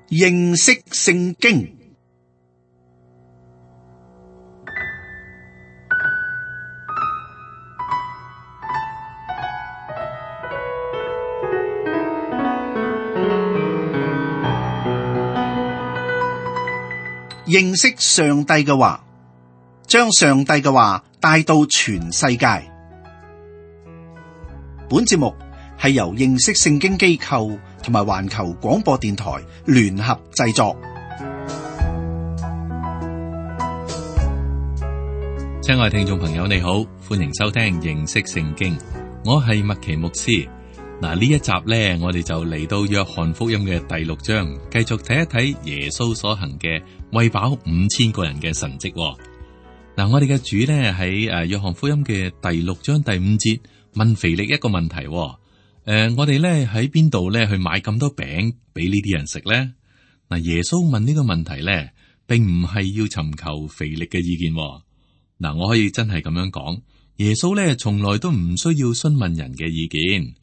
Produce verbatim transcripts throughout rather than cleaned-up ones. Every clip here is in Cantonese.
認識聖經。認識上帝嘅話，將上帝嘅話帶到全世界。本節目係由認識聖經機構同埋環球廣播電台聯合製作。親愛聽眾朋友，你好，歡迎收聽認識聖經。我係麥奇牧師。嗱，呢一集呢，我哋就嚟到約翰福音嘅第六章，繼續睇一睇耶穌所行嘅餵飽五千個人嘅神蹟。嗱，我哋嘅主呢，喺誒約翰福音嘅第六章第五節問腓力一個問題。誒、呃，我哋咧喺邊度咧去買咁多餅俾呢啲人食咧？嗱，耶穌問呢個問題咧，並唔係要尋求腓力嘅意見。嗱，我可以真係咁樣講，耶穌咧從來都唔需要詢問人嘅意見。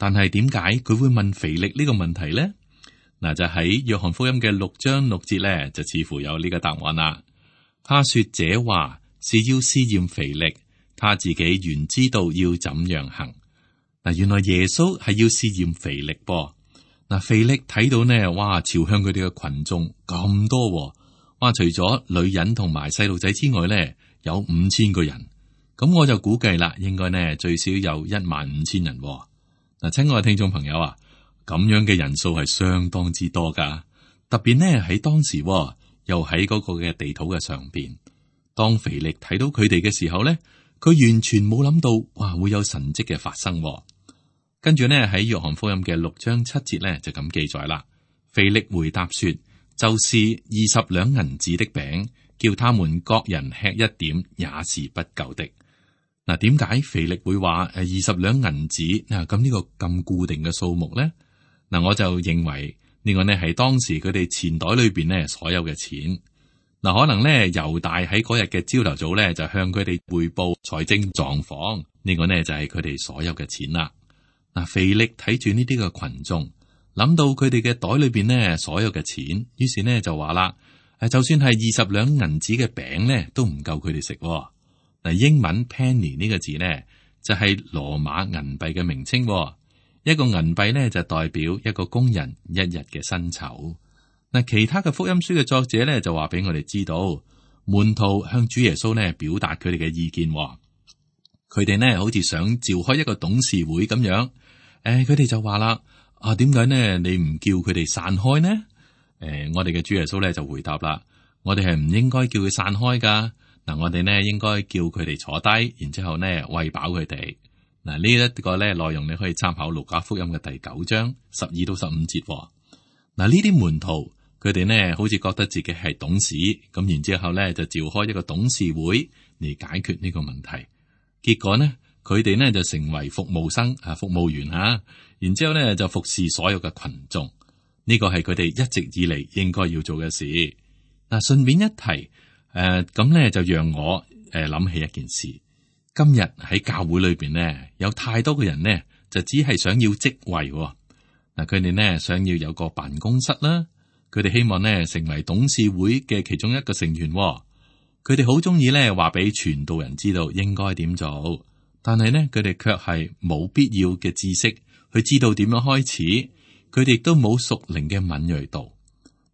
但係點解佢會問腓力呢個問題咧？嗱，就喺約翰福音嘅六章六節咧，就似乎有呢個答案啦。他說這話是要試驗腓力，他自己原知道要怎樣行。嗱，原來耶穌係要試驗腓力噃。嗱，腓力睇到呢，哇，朝向佢哋嘅群眾咁多，哇，除咗女人同埋細路仔之外咧，有五千個人。咁我就估計啦，應該呢最少有一萬五千人。嗱，親愛嘅聽眾朋友啊，咁樣嘅人數係相當之多噶，特別呢喺當時，又喺嗰個嘅地土嘅上邊。當腓力睇到佢哋嘅時候咧，佢完全冇諗到，哇，會有神蹟嘅發生。跟住呢喺約翰福音嘅六章七節咧就咁記載啦。腓力回答說，就是二十兩銀子的餅，叫他們各人吃一點，也是不夠的。嗱，點解腓力會話誒二十兩銀子嗱？咁呢個咁固定嘅數目咧？嗱，我就認為呢個呢係當時佢哋錢袋裏邊呢所有嘅錢。嗱，可能咧猶大喺嗰日嘅朝頭早咧就向佢哋匯報財政狀況，呢個呢就係佢哋所有嘅錢啦。嗱，腓力睇住呢啲嘅群眾，諗到佢哋嘅袋裏邊呢所有嘅錢，於是呢就話啦：誒，就算係二十兩銀子嘅餅咧，都唔夠佢哋食。嗱，英文 penny 呢個字呢，就係羅馬銀幣嘅名稱。一個銀幣呢，就代表一個工人一日嘅薪酬。嗱，其他嘅福音書嘅作者呢，就話俾我哋知道，門徒向主耶穌呢表達佢哋嘅意見。佢哋呢好似想召開一個董事會咁樣。誒，佢哋就話啦：啊，點解呢？你唔叫佢哋散開呢？誒，我哋嘅主耶穌呢就回答啦：我哋係唔應該叫佢散開噶。嗱，我哋呢應該叫佢哋坐低，然之後呢餵飽佢哋。嗱，呢一個咧內容你可以參考路加福音嘅第九章十二到十五節。嗱，呢啲門徒佢哋呢好似覺得自己係董事，咁然之後咧就召開一個董事會嚟解決呢個問題。結果呢，佢哋呢就成為服務生啊，服務員吓，然之後咧就服侍所有嘅群眾。呢個係佢哋一直以嚟應該要做嘅事。嗱，順便一提。誒，咁咧、呃、就讓我誒諗、呃、起一件事。今日喺教會裏邊呢，有太多嘅人呢，就只係想要職位。嗱、呃，佢哋呢想要有個辦公室啦，佢哋希望呢成為董事會嘅其中一個成員。佢哋好中意呢話俾傳道人知道應該點做，但係呢，佢哋卻係冇必要嘅知識去知道點樣開始。佢哋亦都冇屬靈嘅敏銳度。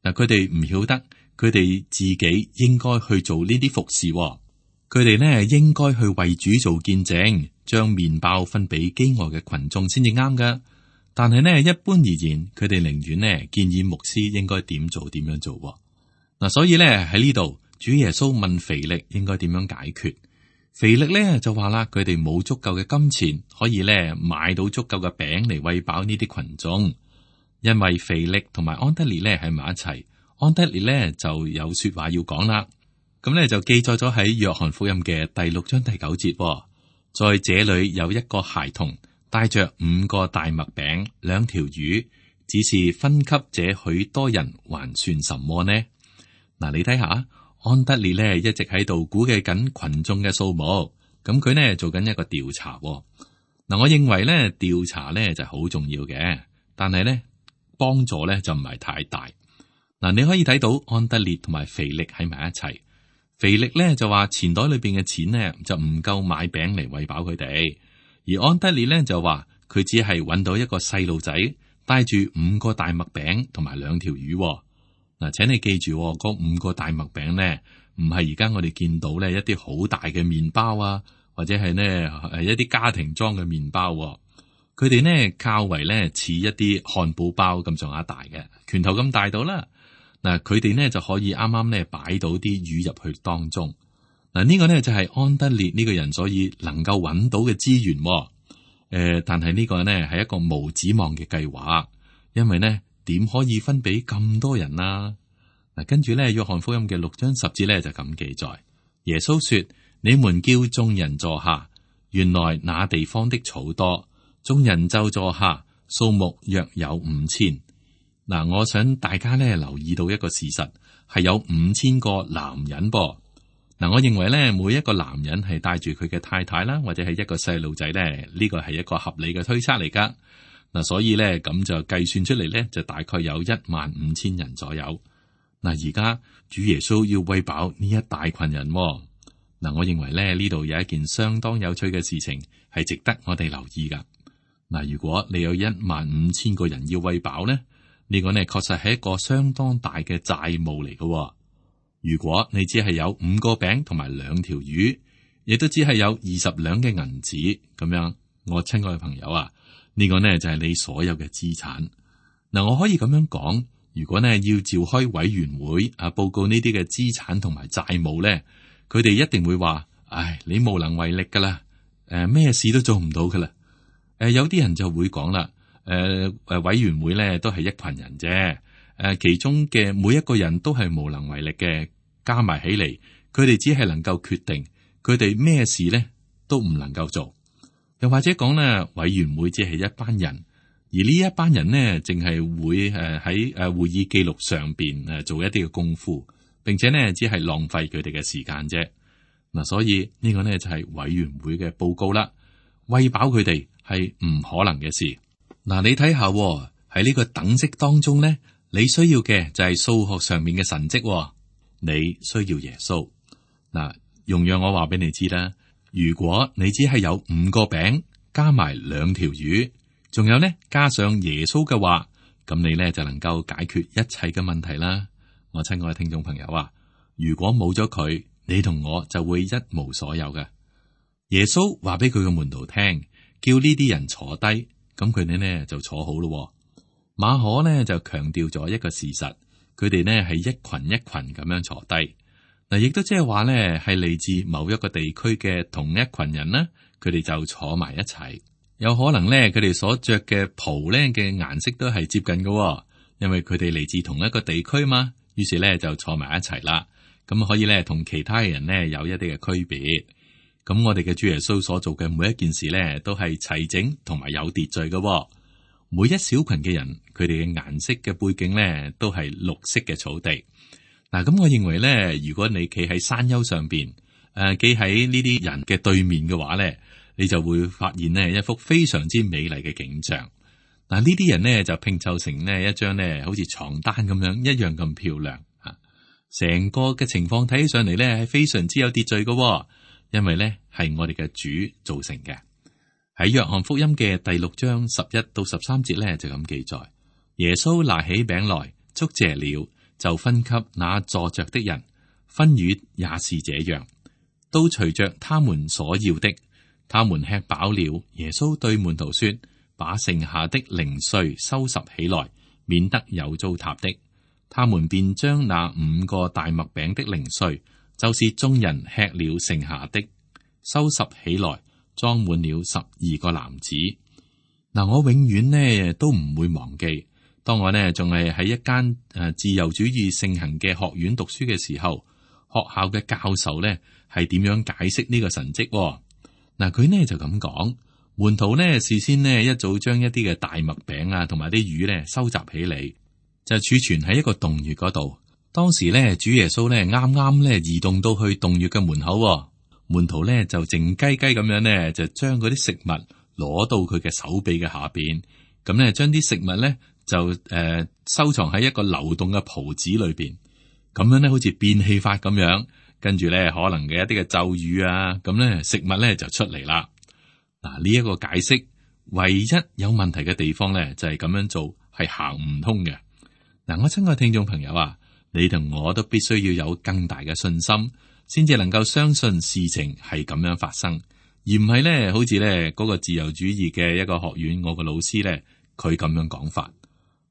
嗱、呃，佢哋唔曉得。佢哋自己應該去做呢啲服侍，佢哋呢應該去為主做見證，將麵包分俾飢餓嘅群眾先至啱㗎。但係呢，一般而言，佢哋寧願呢建議牧師應該點做點樣做。嗱，所以呢喺呢度，主耶穌問腓力應該點樣解決。腓力呢就話啦，佢哋冇足夠嘅金錢可以呢買到足夠嘅餅嚟餵飽呢啲群眾，因為腓力同埋安德烈呢喺埋一齊。安德烈咧就有說話要講啦，咁咧就記載咗喺約翰福音嘅第六章第九節、哦，在這裏有一個孩童帶着五個大麥餅、兩條魚，只是分給這許多人，還算什麼呢？嗱，你睇下，安德烈咧一直喺度估計緊群眾嘅數目，咁佢呢做緊一個調查、哦。嗱，我認為咧調查咧就好重要嘅，但係咧幫助咧就唔係太大。嗱，你可以睇到安德烈同埋腓力喺埋一齊。腓力咧就話錢袋裏邊嘅錢呢就唔夠買餅嚟餵飽佢哋，而安德烈咧就話佢只係揾到一個細路仔帶住五個大麥餅同埋兩條魚。嗱，請你記住，嗰五個大麥餅呢唔係而家我哋見到咧一啲好大嘅麵包啊，或者係呢誒一啲家庭裝嘅麵包。佢哋呢較為咧似一啲漢堡包咁上下大嘅，拳頭咁大到啦。嗱，佢哋呢就可以啱啱咧擺到啲魚入去當中。嗱，呢個呢就係安德烈呢個人所以能夠揾到嘅資源。誒、呃，但係呢個呢係一個無指望嘅計劃，因為呢點可以分俾咁多人啊？嗱，跟住咧約翰福音嘅六章十節咧就咁記載，耶穌說：你們叫眾人坐下。原來那地方的草多。眾人就坐下，數目約有五千。嗱，我想大家咧留意到一個事實，係有五千個男人噃。嗱，我認為咧每一個男人係帶住佢嘅太太啦，或者係一個細路仔咧，呢個係一個合理嘅推測嚟噶。嗱，所以咧咁就計算出嚟咧，就大概有一萬五千人左右。嗱，而家主耶穌要餵飽呢一大群人。嗱，我認為咧呢度有一件相當有趣嘅事情，係值得我哋留意噶。嗱，如果你有一萬五千個人要餵飽呢，呢個呢確實係一個相當大嘅債務嚟嘅。如果你只係有五個餅同埋兩條魚，亦都只係有二十兩嘅銀紙咁樣，我親愛嘅朋友啊，呢個呢就係你所有嘅資產。嗱，我可以咁樣講，如果呢要召開委員會啊，報告呢啲嘅資產同埋債務呢，佢哋一定會話：唉，你無能為力噶啦，誒，咩事都做唔到噶啦。誒、呃，有啲人就會講啦，誒、呃、誒，委員會咧都係一群人啫，誒、呃，其中嘅每一個人都係無能為力嘅，加埋起嚟，佢哋只係能夠決定，佢哋咩事咧都唔能夠做。又或者講咧，委員會只係一班人，而呢一班人呢，淨係會誒喺誒會議記錄上邊誒做一啲嘅功夫，並且呢，只係浪費佢哋嘅時間啫。嗱、呃，所以呢個呢，就係、是、委員會嘅報告啦，餵飽佢哋係唔可能嘅事。嗱，你睇下喺呢個等式當中咧，你需要嘅就係數學上面嘅神蹟。你需要耶穌。嗱，容讓我話俾你知啦。如果你只係有五個餅加埋兩條魚，仲有咧加上耶穌嘅話，咁你咧就能夠解決一切嘅問題啦。我親愛嘅聽眾朋友啊，如果冇咗佢，你同我就會一無所有嘅。耶穌話俾佢嘅門徒聽，叫呢啲人坐低，咁佢哋呢就坐好咯。馬可呢就強調咗一個事實，佢哋呢係一群一群咁樣坐低。嗱，亦都即係話呢係嚟自某一個地區嘅同一群人啦，佢哋就坐埋一齊。有可能呢，佢哋所着嘅袍呢嘅顏色都係接近嘅，因為佢哋嚟自同一個地區嘛。於是呢就坐埋一齊啦，咁可以呢同其他人呢有一啲嘅區別。咁我哋嘅主耶穌所做嘅每一件事咧，都係齊整同埋有秩序嘅。每一小群嘅人，佢哋嘅顏色嘅背景咧，都係綠色嘅草地。嗱，咁我認為咧，如果你企喺山丘上邊，誒，企喺呢啲人嘅對面嘅話咧，你就會發現呢一幅非常之美麗嘅景象。嗱，呢啲人咧就拼湊成呢一張咧，好似床單咁樣一樣咁漂亮吓。成個嘅情況睇起上嚟咧，係非常之有秩序嘅。因為咧係我哋嘅主造成嘅。喺約翰福音嘅第六章十一到十三節咧就咁記載，耶穌拿起餅來，祝謝了，就分給那坐着的人，分魚也是這樣，都隨着他們所要的。他們吃飽了，耶穌對門徒說：把剩下的零碎收拾起來，免得有糟蹋的。他們便將那五個大麥餅的零碎，就是眾人吃了剩下的，收拾起來，裝滿了十二個籃子。嗱，我永遠呢都唔會忘記，當我呢仲係喺一間誒自由主義盛行嘅學院讀書嘅時候，學校嘅教授呢係點樣解釋呢個神蹟？嗱，佢呢就咁講，門徒呢事先呢一早將一啲嘅大麥餅啊，同埋啲魚呢收集起嚟，就儲存喺一個洞穴嗰度。當時咧，主耶穌咧啱啱咧移動到去洞穴嘅門口，門徒咧就靜雞雞咁樣咧，就將嗰啲食物攞到佢嘅手臂嘅下邊，咁咧將啲食物咧就誒、呃、收藏喺一個流動嘅袍子裏邊，咁樣咧好似變戲法咁樣，跟住咧可能嘅一啲嘅咒語啊，咁咧食物咧就出嚟啦。嗱，呢一個解釋唯一有問題嘅地方咧，就係咁樣做係行唔通嘅。嗱，我親愛聽眾朋友啊，你同我都必須要有更大嘅信心，先至能夠相信事情係咁樣發生，而唔係咧好似咧嗰個自由主義嘅一個學院，我個老師咧佢咁樣講法。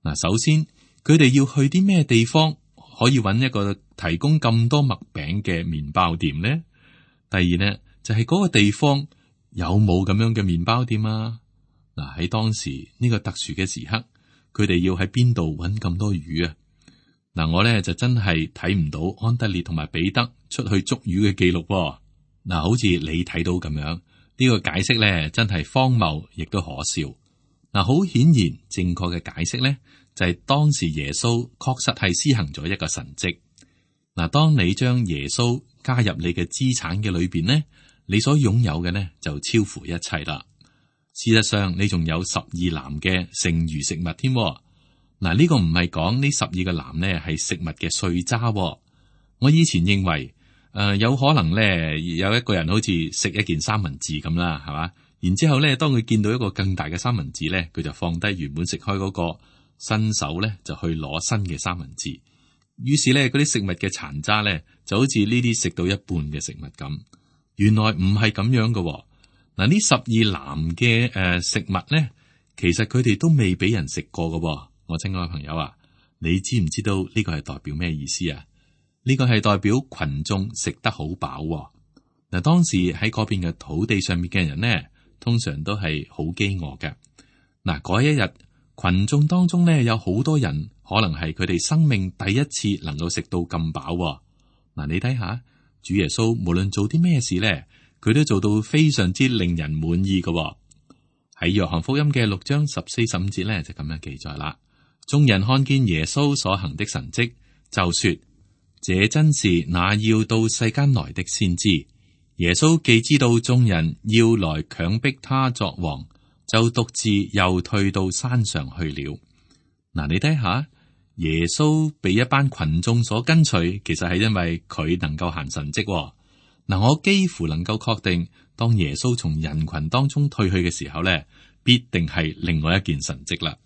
嗱，首先佢哋要去啲咩地方可以揾一個提供咁多麥餅嘅麵包店呢？第二呢，就係嗰個地方有冇咁樣嘅麵包店啊？嗱，喺當時呢個特殊嘅時刻，佢哋要喺邊度揾咁多魚啊？嗱，我咧就真係睇唔到安德烈同埋彼得出去捉魚嘅記錄。嗱，好似你睇到咁樣，呢個解釋咧真係荒謬，亦都可笑。嗱，好顯然正確嘅解釋咧，就係當時耶穌確實係施行咗一個神蹟。嗱，當你將耶穌加入你嘅資產嘅裏邊呢，你所擁有嘅呢就超乎一切啦。事實上，你仲有十二籃嘅剩餘食物添。嗱，呢個唔係講呢十二個籃呢係食物嘅碎渣。我以前認為誒、呃、有可能咧有一個人好似食一件三文治咁啦，係嘛？然之後咧，當佢見到一個更大嘅三文治咧，佢就放低原本食開嗰個，伸手咧就去攞新嘅三文治。於是咧，嗰啲食物嘅殘渣咧就好似呢啲食到一半嘅食物咁。原來唔係咁樣嘅。嗱，呢十二籃嘅誒食物咧，其實佢哋都未俾人食過嘅。我親愛嘅朋友啊，你知唔知道呢個係代表咩意思啊？呢個係代表群眾食得好飽。嗱，當時喺嗰邊嘅土地上面嘅人呢，通常都係好飢餓嘅。嗱，嗰一日群眾當中呢，有好多人可能係佢哋生命第一次能夠食到咁飽。嗱，你睇下主耶穌無論做啲咩事呢，佢都做到非常之令人滿意嘅。喺約翰福音嘅六章十四十五節呢，就咁樣記載啦。眾人看見耶穌所行的神蹟，就說：這真是那要到世間來的先知。耶穌既知道眾人要來強迫他作王，就獨自又退到山上去了。嗱，你睇下，耶穌被一班群眾所跟隨，其實係因為佢能夠行神蹟。嗱，我幾乎能夠確定，當耶穌從人群當中退去嘅時候咧，必定係另外一件神蹟啦。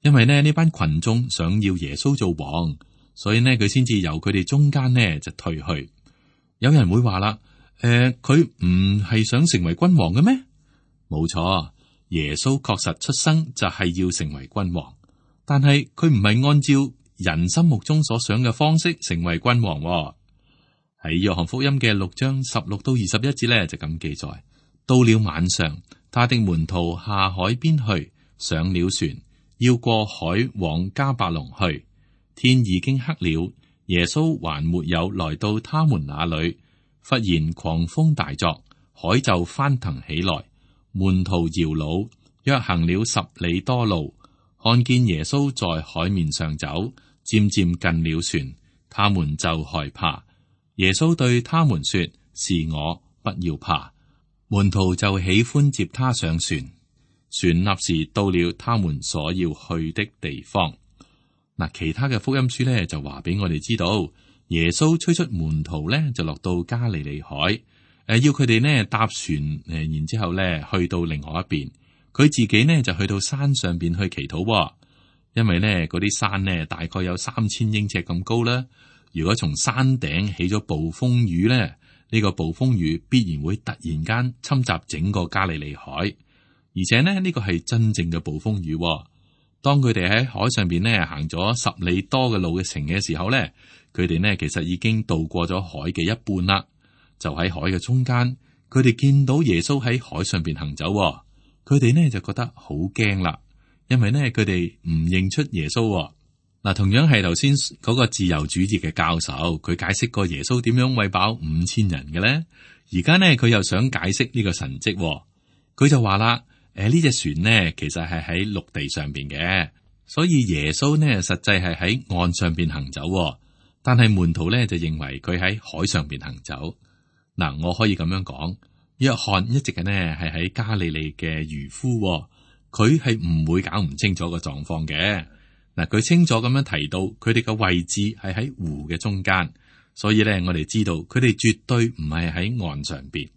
因為呢呢班群眾想要耶穌做王，所以呢佢先至由佢哋中間呢就退去。有人會話啦，誒、呃，佢唔係想成為君王嘅咩？冇錯，耶穌確實出生就係要成為君王，但係佢唔係按照人心目中所想嘅方式成為君王。喺約翰福音嘅六章十六到二十一節呢，就咁記載：到了晚上，他的門徒下海邊去，上了船，要過海往迦百農去。天已經黑了，耶穌還沒有來到他們那裏，忽然狂風大作，海就翻騰起來，門徒搖橹，約行了十里多路，看見耶穌在海面上走，漸漸近了船，他們就害怕。耶穌對他們說：是我，不要怕。門徒就喜歡接他上船，船立時到了他們所要去的地方。嗱，其他嘅福音書咧就話俾我哋知道，耶穌催促門徒咧就落到加利利海，誒，要佢哋呢搭船，誒，然之後咧去到另外一邊，佢自己呢就去到山上邊去祈禱，因為呢嗰啲山呢大概有三千英尺咁高啦。如果從山頂起咗暴風雨咧，呢、這個暴風雨必然會突然間侵襲整個加利利海，而且呢呢、這個係真正嘅暴風雨。當佢哋喺海上邊呢行咗十里多嘅路嘅程嘅時候咧，佢哋呢其實已經渡過咗海嘅一半啦。就喺海嘅中間，佢哋見到耶穌喺海上邊行走，佢哋呢就覺得好驚啦，因為呢佢哋唔認出耶穌。嗱，同樣係頭先嗰個自由主義嘅教授，佢解釋過耶穌點樣餵飽五千人嘅咧。而家呢，佢又想解釋呢個神蹟，佢就話啦：誒，呢隻船呢，其實係喺陸地上邊嘅，所以耶穌呢，實際係喺岸上邊行走，但係門徒呢，就認為佢喺海上邊行走。嗱，我可以咁樣講，約翰一直嘅呢係喺加利利嘅漁夫，佢係唔會搞唔清楚個狀況嘅。嗱，佢清楚咁樣提到佢哋嘅位置係喺湖嘅中間，所以咧我哋知道佢哋絕對唔係喺岸上邊。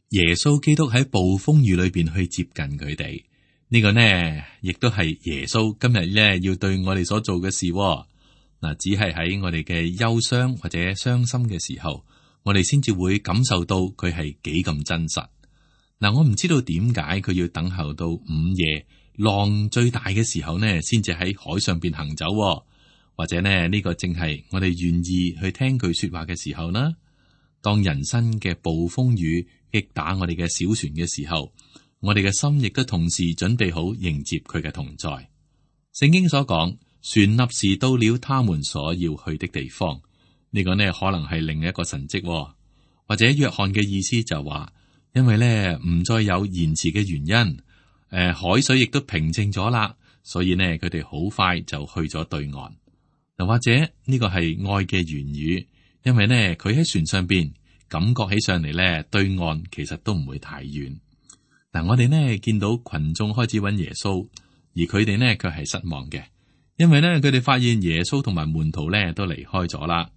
耶穌基督喺暴風雨裏邊去接近佢哋，呢個呢亦都係耶穌今日咧要對我哋所做嘅事。嗱，只係喺我哋嘅憂傷或者傷心嘅時候，我哋先至會感受到佢係幾咁真實。嗱，我唔知道點解佢要等候到午夜浪最大嘅時候呢，先至喺海上邊行走，或者呢呢個正係我哋願意去聽佢說話嘅時候呢？當人生嘅暴風雨擊打我哋嘅小船嘅時候，我哋嘅心亦都同時準備好迎接佢嘅同在。聖經所講，船立時到了他們所要去的地方，呢個呢可能係另一個神蹟，或者約翰嘅意思就話，因為呢唔再有延遲嘅原因。誒、呃，海水亦都平靜咗啦，所以呢，佢哋好快就去咗對岸。又或者呢個係愛嘅言語，因為呢，佢喺船上邊感覺起上嚟呢，對岸其實都唔會太遠。嗱，我哋呢見到群眾開始揾耶穌，而佢哋呢卻係失望嘅，因為呢，佢哋發現耶穌同埋門徒呢都離開咗啦。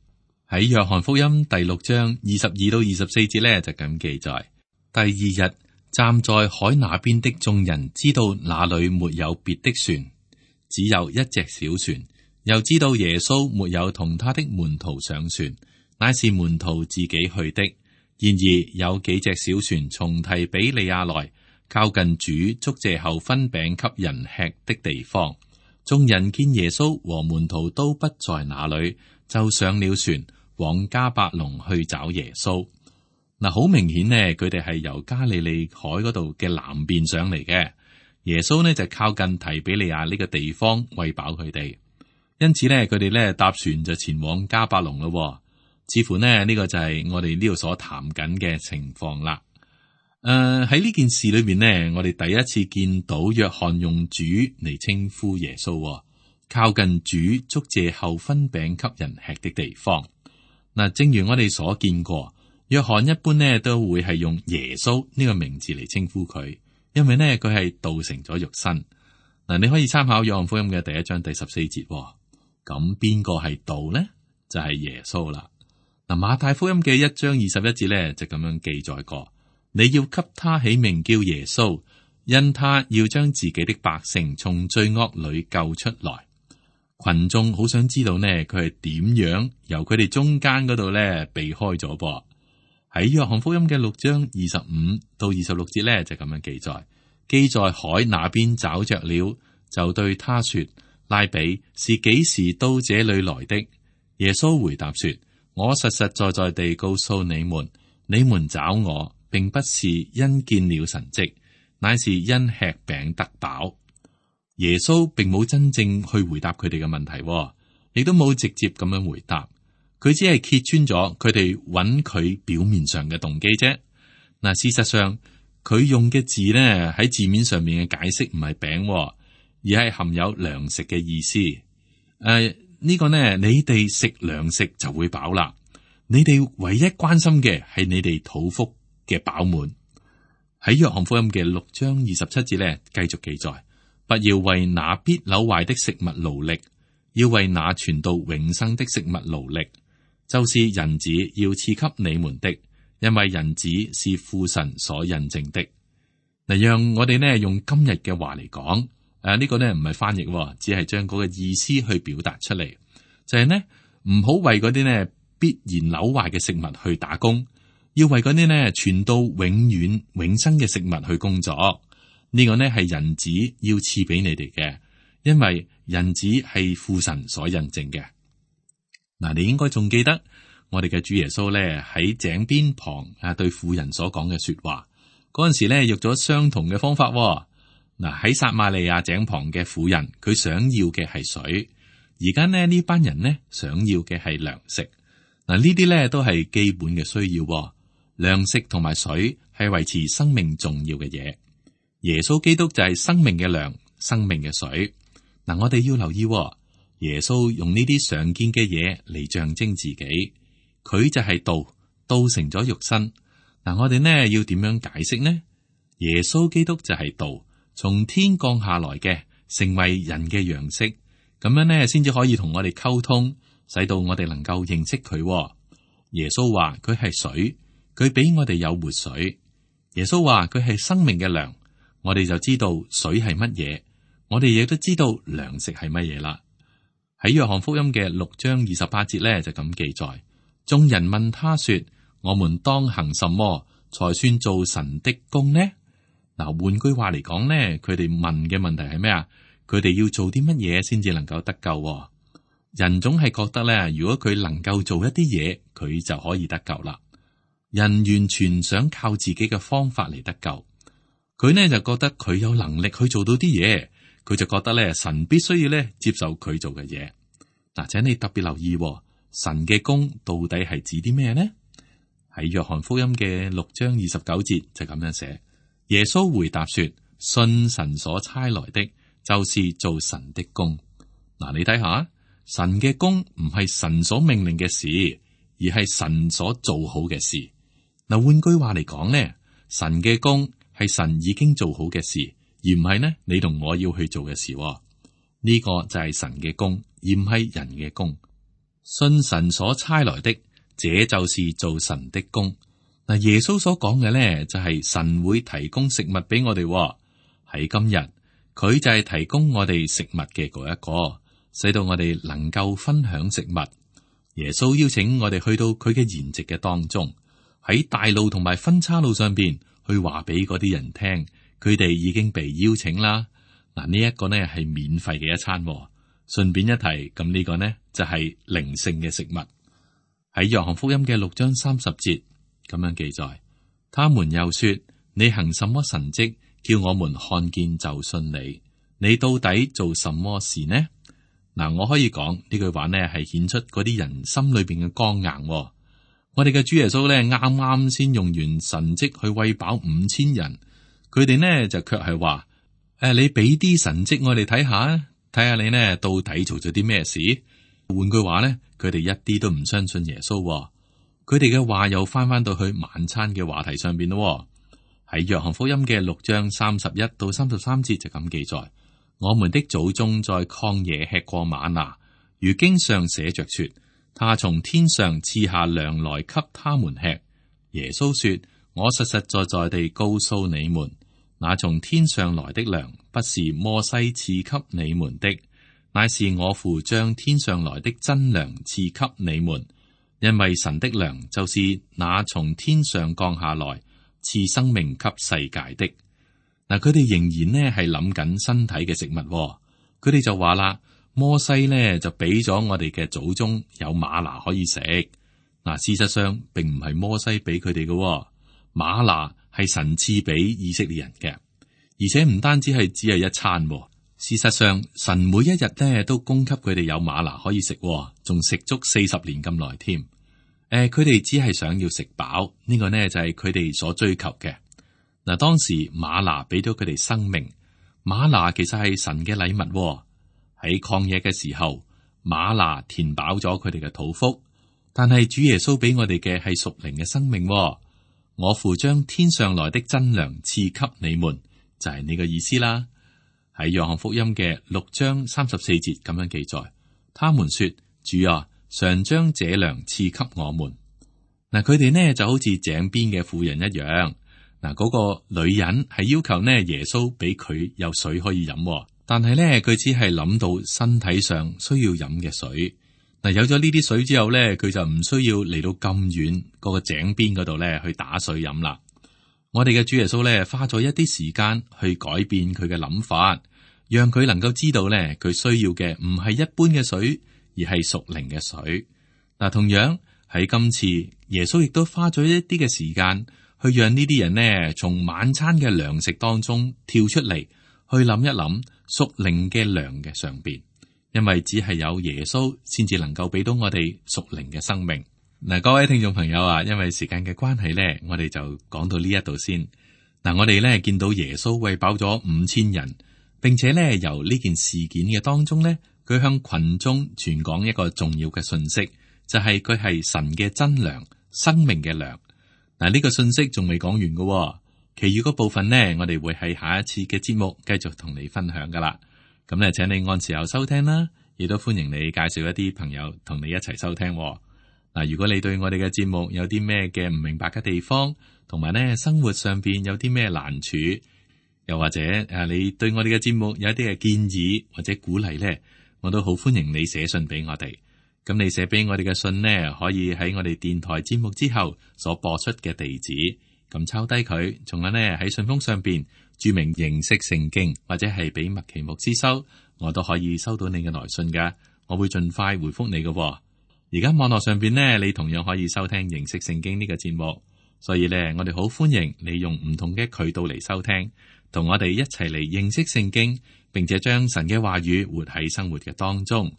喺約翰福音第六章二十二到二十四節呢，就咁記載：第二日，站在海那邊的眾人知道那裏沒有別的船，只有一隻小船，又知道耶穌沒有同他的門徒上船，乃是門徒自己去的。然而有幾隻小船從提比利亞來，靠近主祝謝後分餅給人吃的地方。眾人見耶穌和門徒都不在那裏，就上了船往迦百農去找耶穌。嗱，好明顯呢，佢哋係由加利利海嗰度嘅南邊上嚟嘅。耶穌呢就靠近提比利亞呢個地方餵飽佢哋，因此呢，佢哋呢搭船就前往迦百農咯。似乎呢呢個就係我哋呢度所談緊嘅情況啦。誒，喺呢件事裏邊呢，我哋第一次見到約翰用主嚟稱呼耶穌，靠近主祝謝後分餅給人吃的地方。嗱，正如我哋所見過。約翰一般呢都會係用耶穌呢個名字嚟稱呼佢，因為呢佢係道成咗肉身。嗱，你可以參考約翰福音嘅第一章第十四節。咁邊個係道呢？就係、是、耶穌啦。嗱，馬太福音嘅一章二十一節呢就咁樣記載過：你要給他起名叫耶穌，因他要將自己的百姓從罪惡裏救出來。群眾好想知道呢，佢係點樣由佢哋中間嗰度呢避開咗噃。喺約翰福音嘅六章二十五到二十六節咧，就咁樣記載：既在海那邊找着了，就對他說：拉比是幾時到這裏來的？耶穌回答說：我實實在在地告訴你們，你們找我，並不是因見了神蹟，乃是因吃餅得飽。耶穌並冇真正去回答佢哋嘅問題，亦都冇直接咁樣回答。佢只係揭穿咗佢哋揾佢表面上嘅動機啫。嗱，事實上佢用嘅字呢，喺字面上面嘅解釋唔係餅，而係含有糧食嘅意思。誒、呃，呢、這個呢，你哋食糧食就會飽啦。你哋唯一關心嘅係你哋肚腹嘅飽滿。喺約翰福音嘅六章二十七節呢，繼續記載：不要為那必朽壞的食物勞力，要為那存到永生的食物勞力。就是人子要賜給你們的，因為人子是父神所印證的。嗱，讓我哋呢用今日嘅話嚟講，誒、啊、呢、這個呢唔係翻譯，只係將嗰個意思去表達出嚟，就係、是、呢唔好為嗰啲呢必然朽壞嘅食物去打工，要為嗰啲呢存到永遠永生嘅食物去工作。呢、這個呢係人子要賜俾你哋嘅，因為人子係父神所印證嘅。嗱，你應該仲記得我哋嘅主耶穌咧喺井邊旁啊對婦人所講嘅說話，嗰陣時咧用咗相同嘅方法。嗱，喺撒瑪利亞井旁嘅婦人，佢想要嘅係水，而家呢呢班人呢想要嘅係糧食。嗱，呢啲咧都係基本嘅需要，糧食同埋水係維持生命重要嘅嘢。耶穌基督就係生命嘅糧，生命嘅水。嗱，我哋要留意。耶穌用呢啲常見嘅嘢嚟象徵自己，佢就係道，道成咗肉身。嗱，我哋呢要點樣解釋呢？耶穌基督就係道，從天降下來嘅，成為人嘅樣式。咁樣呢，先至可以同我哋溝通，使到我哋能夠認識佢。耶穌話佢係水，佢俾我哋有活水。耶穌話佢係生命嘅糧，我哋就知道水係乜嘢，我哋亦都知道糧食係乜嘢啦。喺約翰福音嘅六章二十八節咧就咁記載，眾人問他說：我們當行什麼才算做神的工呢？嗱，換句話嚟講咧，佢哋問嘅問題係咩啊？佢哋要做啲乜嘢先至能夠得救？人總係覺得咧，如果佢能夠做一啲嘢，佢就可以得救啦。人完全想靠自己嘅方法嚟得救，佢呢就覺得佢有能力去做到啲嘢，佢就覺得咧神必須要咧接受佢做嘅嘢。嗱，請你特別留意，神嘅工到底係指啲咩呢？喺約翰福音嘅六章二十九節就咁樣寫，耶穌回答說：信神所差來的，就是做神的工。嗱，你睇下，神嘅工唔係神所命令嘅事，而係神所做好嘅事。嗱，換句話嚟講呢，神嘅工係神已經做好嘅事，而唔係呢你同我要去做嘅事。呢個就係神嘅工，而唔係人嘅工。信神所差來的，這就是做神的工。嗱，耶穌所講嘅呢，就係神會提供食物俾我哋。喺今日，佢就係提供我哋食物嘅嗰一個，使到我哋能夠分享食物。耶穌邀請我哋去到佢嘅筵席嘅當中，喺大路同埋分岔路上邊去話俾嗰啲人聽，佢哋已經被邀請啦。嗱，呢一個呢係免費嘅一餐。順便一提，咁呢個呢就係靈性嘅食物。喺約翰福音嘅六章三十節咁樣記載，他們又說：你行什麼神蹟，叫我們看見就信你？你到底做什麼事呢？嗱，我可以講呢句話呢係顯出嗰啲人心裏邊嘅剛硬。我哋嘅主耶穌呢啱啱先用完神蹟去餵飽五千人，佢哋呢就卻係話：誒，你俾啲神蹟我哋睇下，睇下你呢到底做咗啲咩事？換句話呢，佢哋一啲都唔相信耶穌。佢哋嘅話又翻翻到去晚餐嘅話題上邊咯。喺約翰福音嘅六章三十一到三十三節就咁記載：我們的祖宗在曠野吃過嗎哪，如經上寫着說，他從天上賜下糧來給他們吃。耶穌說：我實實在在地告訴你們，那從天上來的糧，不是摩西賜給你們的，乃是我父將天上來的真糧賜給你們。因為神的糧就是那從天上降下來賜生命給世界的。嗱，佢哋仍然呢係諗緊身體嘅食物，佢哋就話啦，摩西呢就俾咗我哋嘅祖宗有嗎哪可以食。嗱，事實上並唔係摩西俾佢哋嘅，嗎哪係神賜俾以色列人嘅，而且唔單止係只係一餐。事實上，神每一日咧都供給佢哋有嗎哪可以食，仲食足四十年咁耐添。誒、呃，佢哋只係想要食飽，呢、這個呢就係佢哋所追求嘅。嗱，當時嗎哪俾咗佢哋生命，嗎哪其實係神嘅禮物。喺曠野嘅時候，嗎哪填飽咗佢哋嘅肚腹，但係主耶穌俾我哋嘅係屬靈嘅生命。我父將天上來的真糧賜給你們，就係、是、呢個意思啦。喺約翰福音嘅六章三十四節咁樣記載，他們說：主啊，常將這糧賜給我們。嗱，佢哋呢就好似井邊嘅婦人一樣。嗱，嗰個女人係要求呢耶穌俾佢有水可以飲，但係呢佢只係諗到身體上需要飲嘅水。嗱，有咗呢啲水之後呢，佢就唔需要嚟到咁遠嗰個井邊嗰度呢去打水飲啦。我哋嘅主耶穌呢花咗一啲時間去改變佢嘅諗法。讓佢能夠知道咧，佢需要嘅唔係一般嘅水，而係屬靈嘅水。嗱，同樣喺今次，耶穌亦都花咗一啲嘅時間，去讓呢啲人呢從晚餐嘅糧食當中跳出嚟，去諗一諗屬靈嘅糧嘅上邊，因為只係有耶穌先至能夠俾到我哋屬靈嘅生命。嗱，各位聽眾朋友啊，因為時間嘅關係咧，我哋就講到呢一度先。嗱，我哋咧見到耶穌餵飽咗五千人。並且咧，由呢件事件嘅當中咧，佢向群眾傳講一個重要嘅信息，就係佢係神嘅真糧，生命嘅糧。嗱，呢個信息仲未講完嘅，其餘嗰部分呢，我哋會喺下一次嘅節目繼續同你分享噶啦。咁咧，請你按時候收聽啦。亦都歡迎你介紹一啲朋友同你一齊收聽。嗱，如果你對我哋嘅節目有啲咩嘅唔明白嘅地方，同埋咧生活上邊有啲咩難處，又或者誒你對我哋嘅節目有一啲嘅建議或者鼓勵咧，我都好歡迎你寫信俾我哋。咁你寫俾我哋嘅信呢，可以喺我哋電台節目之後所播出嘅地址，咁抄低佢，仲有呢喺信封上邊注明認識聖經，或者係俾麥奇牧師收，我都可以收到你嘅來信噶，我會盡快回覆你嘅。而家網絡上邊呢，你同樣可以收聽認識聖經呢個節目，所以呢，我哋好歡迎你用唔同嘅渠道嚟收聽，同我哋一齊嚟認識聖經，並且將神嘅話語活喺生活嘅當中。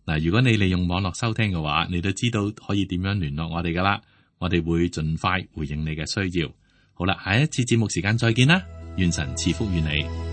嗱，如果你利用網絡收聽嘅話，你都知道可以點樣聯絡我哋噶啦，我哋會盡快回應你嘅需要。好啦，下一次節目時間再見啦，願神賜福於你。